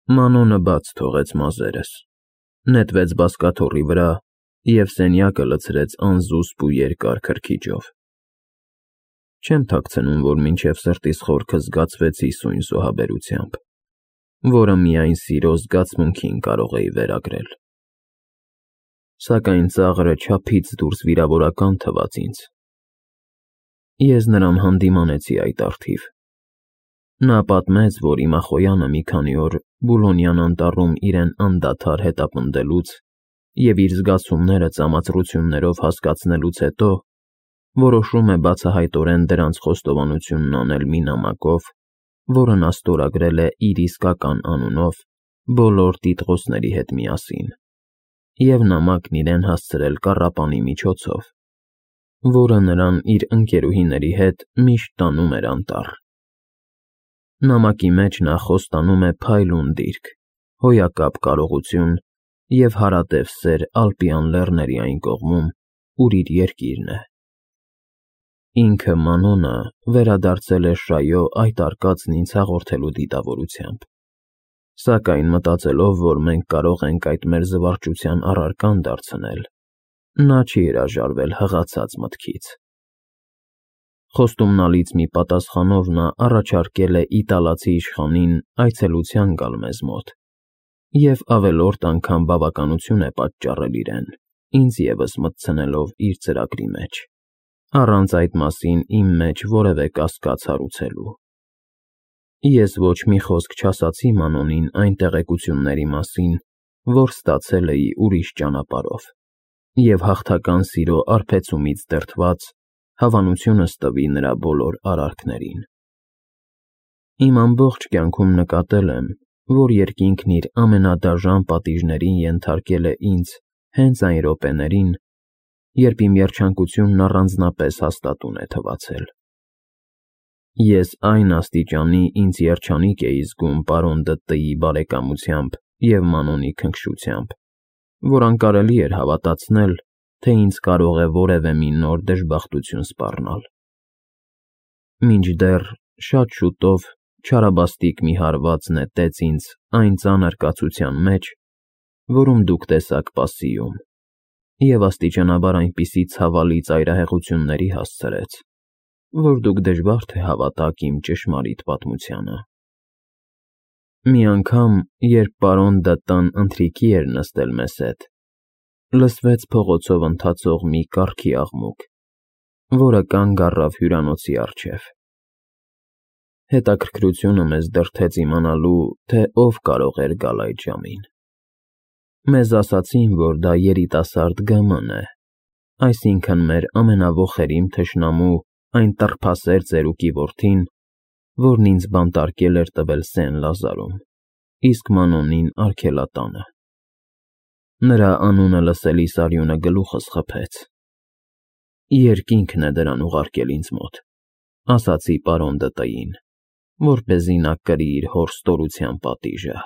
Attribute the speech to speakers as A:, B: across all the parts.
A: Մանոնը բաց թողեց մազերս, նետվեց բազկաթոռի վրա և սենյակը լցրեց անզուսպ ու երկար քրքիջով։ Չեմ թաքցնում, որ մինչև սրտիս խորքը զգացվեցի սույն զոհաբերությամբ, որը միայն սիրո զգացմունքին կարող էի վերագրել։ Սակայն ծաղրը չափից դուրս վիրավորական թվաց ինձ։ Ես նրան հանդիմանեցի այդ առթիվ։ Նա պատմեց, որ իմախոյանը մի քանի օր Բուլոնյան անտառում իրեն անդադար հետապնդելուց և իր զգացումները ծամածրություններով հասկացնելուց հետո որոշում է բացահայտորեն դրանց խոստովանությունն անել մի նամակով, որը նա ստորագրել է իր իսկական անունով բոլոր տիտղոսների հետ միասին, և նամակն իրեն հասցրել կառապանի միջոցով, որը նրան իր ընկերուհիների հետ միշտ տանում էր անտառ։ Նամակի մեջ նա խոստանում է փայլուն դիրք, հոյակապ կարողություն և հարատև սեր Ալպյան լեռների այն կողմում, ուր իր երկիրն է։ Ինքը Մանոնը վերադարձել է Շայո այդ արկածն ինձ հաղորդելու դիտավորությամբ, սակայն մտածելով, որ մենք կարող ենք այդ մեր զվարճության առարկան դարձնել, նա չի հրաժարվել հղացած մտքից։ Խոստումնալից մի պատասխանով նա առաջարկել է իտալացի իշխանին այցելության գալ մեզ մոտ և ավելորդ անգամ բավականություն է պատճառել իրեն, ինձ ևս մտցնելով իր ծրագրի մեջ, առանց այդ մասին իմ մեջ որևէ կասկած հարուցելու։ Ես ոչ մի խոսք չասացի Մանոնին այն տեղեկությունների մասին, որ ստացել էի ուրիշ ճանապարհով, և հաղթական սիրո արբեցումից դրդված հավանությունս տվի նրա բոլոր արարքներին։ Իմ ամբողջ կյանքում նկատել եմ, որ երկինքն իր ամենադաժան պատիժներին ենթարկել է ինձ հենց այն րոպեներին, երբ իմ երջանկությունն առանձնապես հաստատուն է թվացել։ Ես այն աստիճանի ինձ երջանիկ էի զգում պարոն Դը.Տ.-ի բարեկամությամբ և Մանոնի քնքշությամբ, որ անկարելի էր հավատացնել, թե ինձ կարող է որևէ մի նոր դժբախտություն սպառնալ։ Մինչդեռ շատ շուտով չարաբաստիկ մի հարված նետեց ինձ այն ծանր կացության մեջ, որում դուք տեսաք Պասիում, և աստիճանաբար այնպիսի ցավալի ծայրահեղությունների հասցրեց, որ դուք դժվար թե հավատաք իմ ճշմարիտ պատմությանը։ Մի անգամ, երբ պարոն Դը.Տ.-ն ընթրիքի էր նստել մեզ հետ, լսվեց փողոցով ընթացող մի կառքի աղմուկ, որը կանգ առավ հյուրանոցի առջև։ Հետաքրքրությունը մեզ դրդեց իմանալու, թե ով կարող էր գալ այդ ժամին։ Մեզ ասացին, որ դա երիտասարդ Գ.Մ.-ն է, այսինքն մեր ամենավոխերիմ թշնամու այն տռփասեր ծերուկի որդին, որն ինձ բանտարկել էր տվել Սեն֊Լազարում, իսկ Մանոնին արգելատանը։ Նրա անունը լսելիս արյունը գլուխս խփեց։ Երկինքն է դրան ուղարկել ինձ մոտ, ասացի պարոն Դը.Տ.-ին, որպեսզի նա կրի իր հոր ստորության պատիժը։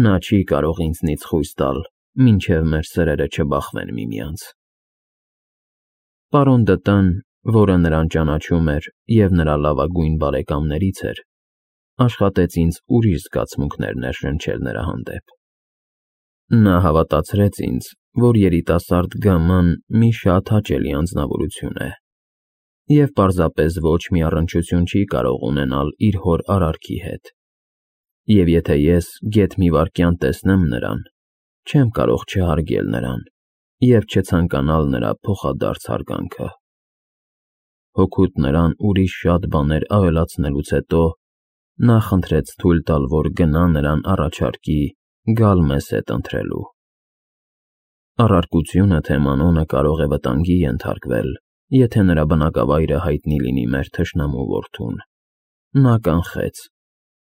A: Նա չի կարող ինձնից խույս տալ, մինչև մեր սրերը չբախվեն միմյանց։ Պարոն Դը.Տ.-ն, որը նրան ճանաչում էր և նրա լավագույն բարեկամներից էր, աշխատեց ինձ ուրիշ զգացմունքներ ներշնչել նրա հանդեպ։ Նա հավատացրեց ինձ, որ երիտասարդ Գ.Մ.-ն մի շատ հաճելի անձնավորություն է և պարզապես ոչ մի առնչություն չի կարող ունենալ իր հոր արարքի հետ, և եթե ես գեթ մի վայրկյան տեսնեմ նրան, չեմ կարող չհարգել նրան և չցանկանալ նրա փոխադարձ հարգանքը։ Հօգուտ նրան ուրիշ շատ բաներ ավելացնելուց հետո նա խնդրեց թույլ տալ, որ գնա նրան առաջարկի գալ մեզ հետ ընթրելու։ Առարկությունը, թե Մանոնը կարող է վտանգի ենթարկվել, եթե նրա բնակավայրը հայտնի լինի մեր թշնամու որդուն, նա կանխեց,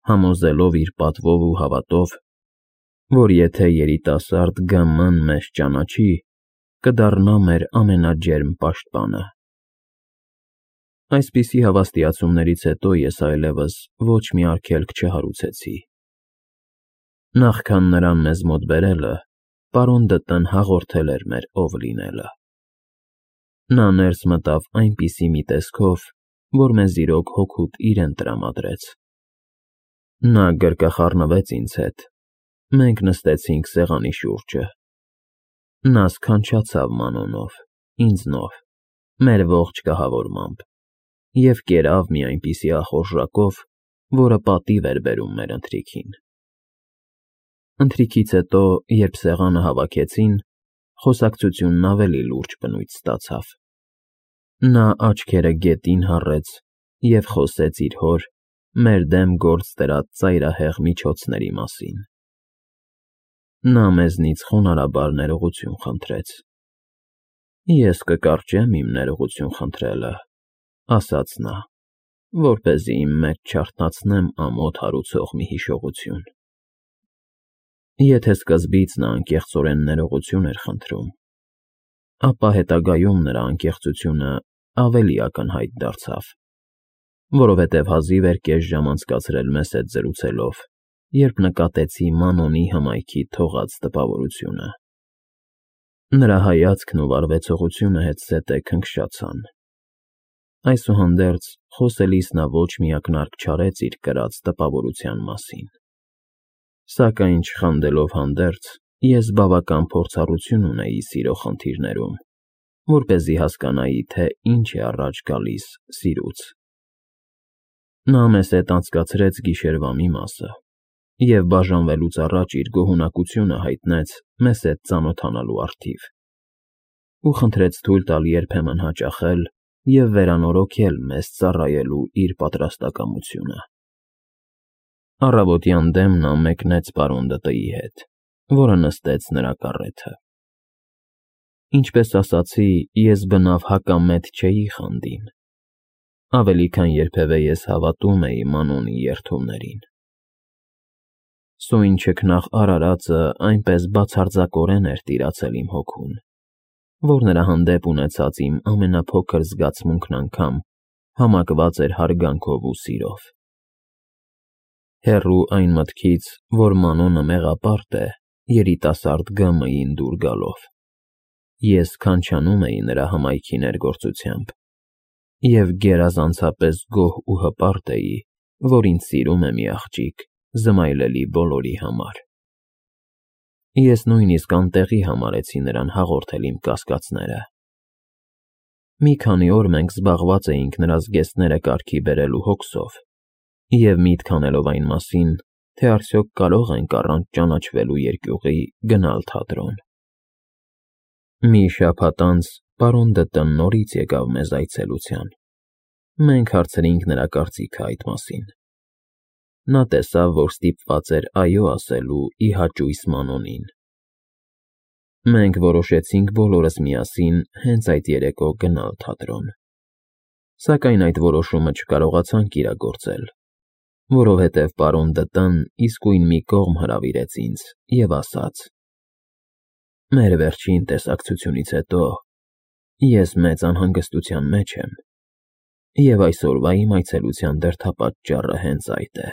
A: համոզելով իր պատվով ու հավատով, որ եթե երիտասարդ Գ.Մ.-ն մեզ ճանաչի, կդառնա մեր ամենաջերմ պաշտպանը։ Այսպիսի հավաստիացումներից հետո ես այլևս ոչ մի արգելք չհարուցեցի։ Նախքան նրան մեզ մոտ բերելը, պարոն Դը.Տ.-ն հաղորդել էր մեր ով լինելը։ Նա ներս մտավ այնպիսի մի տեսքով, որ մեզ իրոք հօգուտ իրեն տրամադրեց։ Նա գրկախառնվեց ինձ հետ, մենք նստեցինք սեղանի շուրջը, նա սքանչացավ Մանոնով, ինձնով, մեր ողջ կահավորմամբ և կերավ մի այնպիսի ախորժակով, որը պատիվ էր բերում մեր ընթրիքին։ Ընթրիքից հետո, երբ սեղանը հավաքեցին, խոսակցությունն ավելի լուրջ բնույթ ստացավ։ Նա աչքերը գետին հառեց և խոսեց իր հոր, մեր դեմ գործ դրած ծայրահեղ միջոցների մասին։ Նա մեզնից խոնարհաբար ներողություն խնդրեց։ Ես կկարճեմ իմ ներողություն խնդրելը, ասաց նա, որպեսզի իմ մեջ չարթնացնեմ ամոթ հարուցող մի հիշողություն։ Եթե սկզբից նա անկեղծորեն ներողություն էր խնդրում, ապա հետագայում նրա անկեղծությունը ավելի ակնհայտ դարձավ, որովհետև հազիվ էր կես ժամ անցկացրել մեզ հետ զրուցելով, երբ նկատեցի Մանոնի հմայքի թողած տպավորությունը։ Նրա հայացքն ու վարվեցողությունը հետզհետե քնքշացան։ Այսուհանդերձ, խոսելիս նա ոչ մի ակնարկ չարեց իր կրած տպավորության մասին։ Սակայն չխանդելով հանդերձ, ես բավական փորձառություն ունեի սիրո խնդիրներում, որպեսզի հասկանայի, թե ինչ է առաջ գալիս սիրուց։ Նա մեզ հետ անցկացրեց գիշերվա մի մասը և բաժանվելուց առաջ իր գոհունակությունը հայտնեց մեզ հետ ծանոթանալու առթիվ ու խնդրեց թույլ տալ երբեմն հաճախել և վերանորոգել մեզ ծառայելու իր պատրաստակամությունը։ Առավոտյան դեմ նա մեկնեց պարոն Դը.ի հետ, որը նստեց նրա կառեթը։ Ինչպես ասացի, ես բնավ հակամետ չէի խանդին, ավելի քան երբևէ ես հավատում էի Մանոնի երդումներին։ Սույն չքնաղ արարածը այնպես բացարձակորեն էր տիրացել իմ հոգուն, որ նրա հանդեպ ունեցած իմ ամենափոքր զգացմունքն անգամ համակված էր հարգանքով ու սիրով։ Հեռու այն մտքից, որ Մանոնը մեղապարտ է երիտասարդ ԳՄ-ին դուր գալով, ես քանչանում էի նրա հմայքի ներգործությամբ և գերազանցապես գոհ ու հպարտ էի, որ ինձ սիրում է մի աղջիկ զմայլելի բոլորի համար։ Ես նույնիսկ անտեղի համարեցի նրան հաղորդել իմ կասկածները։ Մի քանի օր մենք զբաղված էինք նրա զգեստները կարգի բերելու հոգսով և միտք անելով այն մասին, թե արդյոք կարող ենք առանց ճանաչվելու երկյուղի գնալ թատրոն։ Մի շաբաթ անց պարոն Դը.ն նորից եկավ մեզ այցելության։ Մենք հարցրինք նրա կարծիքը այդ մասին։ Նա տեսավ, որ ստիպված էր այո ասելու ի հաճույս Մանոնին։ Մենք որոշեցինք բոլորս միասին հենց այդ երեկո գնալ թատրոն։ Սակայն այդ որոշումը չկարողացանք իրագործել, որովհետև պարոն Դը.ն իսկույն մի կողմ հրավիրեց ինձ և ասաց. «Մեր վերջին տեսակցությունից հետո ես մեծ անհանգստության մեջ եմ, և այսօրվա իմ այցելության դրդապատճառը հենց այդ է։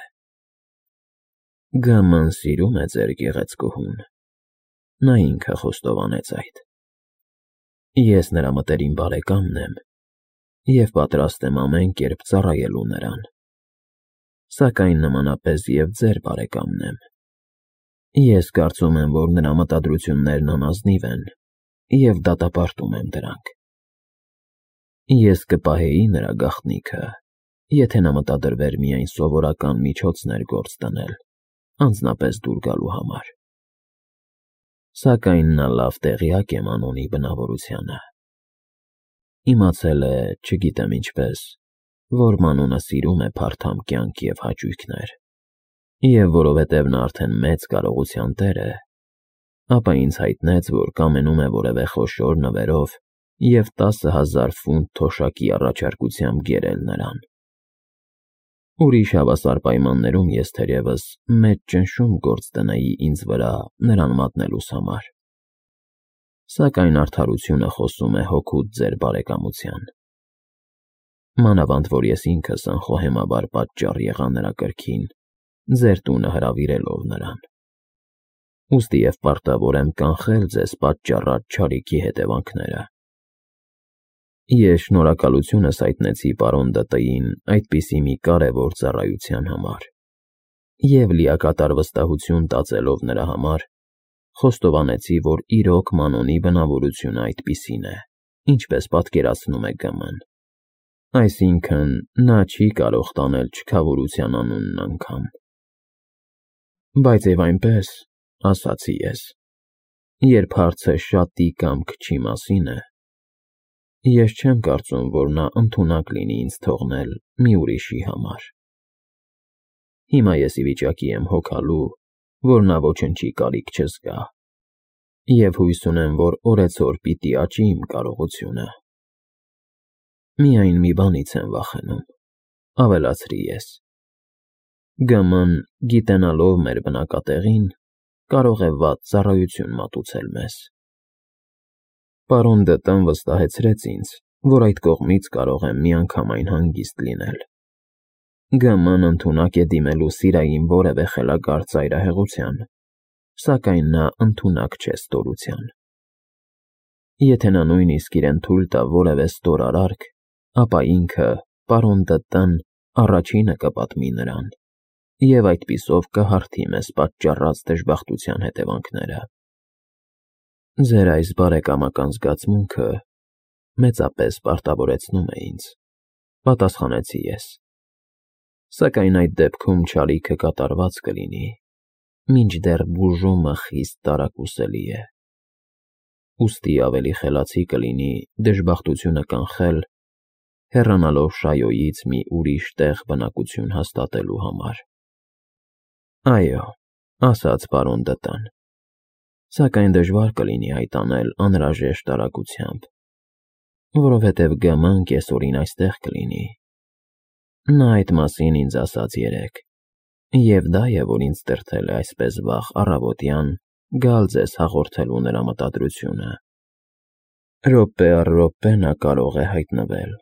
A: ԳՄ-ն սիրում է ձեր գեղեցկուհուն, նա ինքը խոստովանեց այդ։ Ես նրա մտերիմ բարեկամն եմ և պատրաստ եմ ամեն կերպ ծառայելու նրան, սակայն նմանապես և ձեր բարեկամն եմ։ Ես կարծում եմ, որ նրա մտադրություններն անազնիվ են և դատապարտում եմ դրանք։ Ես կպահեի նրա գաղտնիքը, եթե նա մտադրվեր միայն սովորական միջոցներ գործ դնել, անձնապես դուր գալու համար։ Սակայն նա լավ տեղյակ է Մանոնի բնավորությանը։ Իմացել է, չգիտեմ ինչպես, որ Մանոնը սիրում է փարթամ կյանք և հաճույքներ, և որովհետև նա արդեն մեծ կարողության տեր է, ապա ինձ հայտնեց, որ կամենում է որևէ խոշոր նվերով և 10,000 ֆունտ թոշակի առաջարկությամբ գերել նրան։ Ուրիշ հավասար պայմաններում ես թերևս մեծ ճնշում գործ դնեի ինձ վրա նրան մատնելուս համար։ Սակայն արդարությունը խոսում է հօգուտ ձեր բարեկամության։ Մանավանդ որ ես ինքս անխոհեմաբար պատճառ եղա նրա կրքին, ձեր տունը հրավիրելով նրան։ Ուստի և պարտավոր եմ կանխել ձեզ պատճառած չարիքի հետևանքները։ Ես շնորհակալությունս հայտնեցի պարոն Դը.ին այդպիսի մի կարևոր ծառայության համար։ Եվ լիակատար վստահություն տածելով նրա համար, խոստովանեցի, որ իրոք Մանոնի բնավորությունը այդպիսին է, ինչպես պատկերացնում է Գ.Մ.-ն։ Այսինքն, նա չի կարող տանել չքավորության անունն անգամ։ Բայց և այնպես, ասացի ես, երբ հարցը շատի կամ քչի մասին է, ես չեմ կարծում, որ նա ընդունակ լինի ինձ թողնել մի ուրիշի համար։ Հիմա ես ի վիճակի եմ հոգալու, որ նա ոչնչի կարիք չզգա, և հույս ունեմ, որ օրեցօր պիտի աճի իմ կարողությունը։ Միայն մի բանից եմ վախենում, ավելացրի ես. Գ.Մ.-ն, գիտենալով մեր բնակատեղին, կարող է վատ ծառայություն մատուցել մեզ։ Պարոն Դը.Տ.-ն վստահեցրեց ինձ, որ այդ կողմից կարող եմ միանգամայն հանգիստ լինել։ Գ.Մ.-ն ընդունակ է դիմելու Սիրային որևէ խելագար ծայրահեղության, սակայն նա ընդունակ չէ ստորության։ Եթե նա նույնիսկ իրեն թույլ տա որևէ ստոր արարք, ապա ինքը, պարոն Դը.Տ.-ն, առաջինը կպատմի նրան, և այդպիսով կհարթի մեզ պատճառած դժբախտության հետևանքները։ Ձեր այս բարեկամական զգացմունքը մեծապես պարտավորեցնում է ինձ, պատասխանեցի ես։ Սակայն այդ դեպքում չարիքը կատարված կլինի, մինչդեռ բուժումը խիստ տարակուսելի է։ Ուստի ավելի խելացի կլինի դժբախտությունը կանխել, հեռանալով Շայոյից մի ուրիշ տեղ բնակություն հաստատելու համար։ Այո, ասաց պարոն Դը.Տ.-ն, սակայն դժվար կլինի այդ անել անհրաժեշտ արագությամբ, որովհետև Գ.Մ.-ն կեսօրին այստեղ կլինի։ Նա այդ մասին ինձ ասաց երեկ, և դա է, որ ինձ դրդել է այսպես վաղ առավոտյան գալ ձեզ հաղորդելու նրա մտադրությունը։ Րոպե առ րոպե նա կարող է հայտնվել։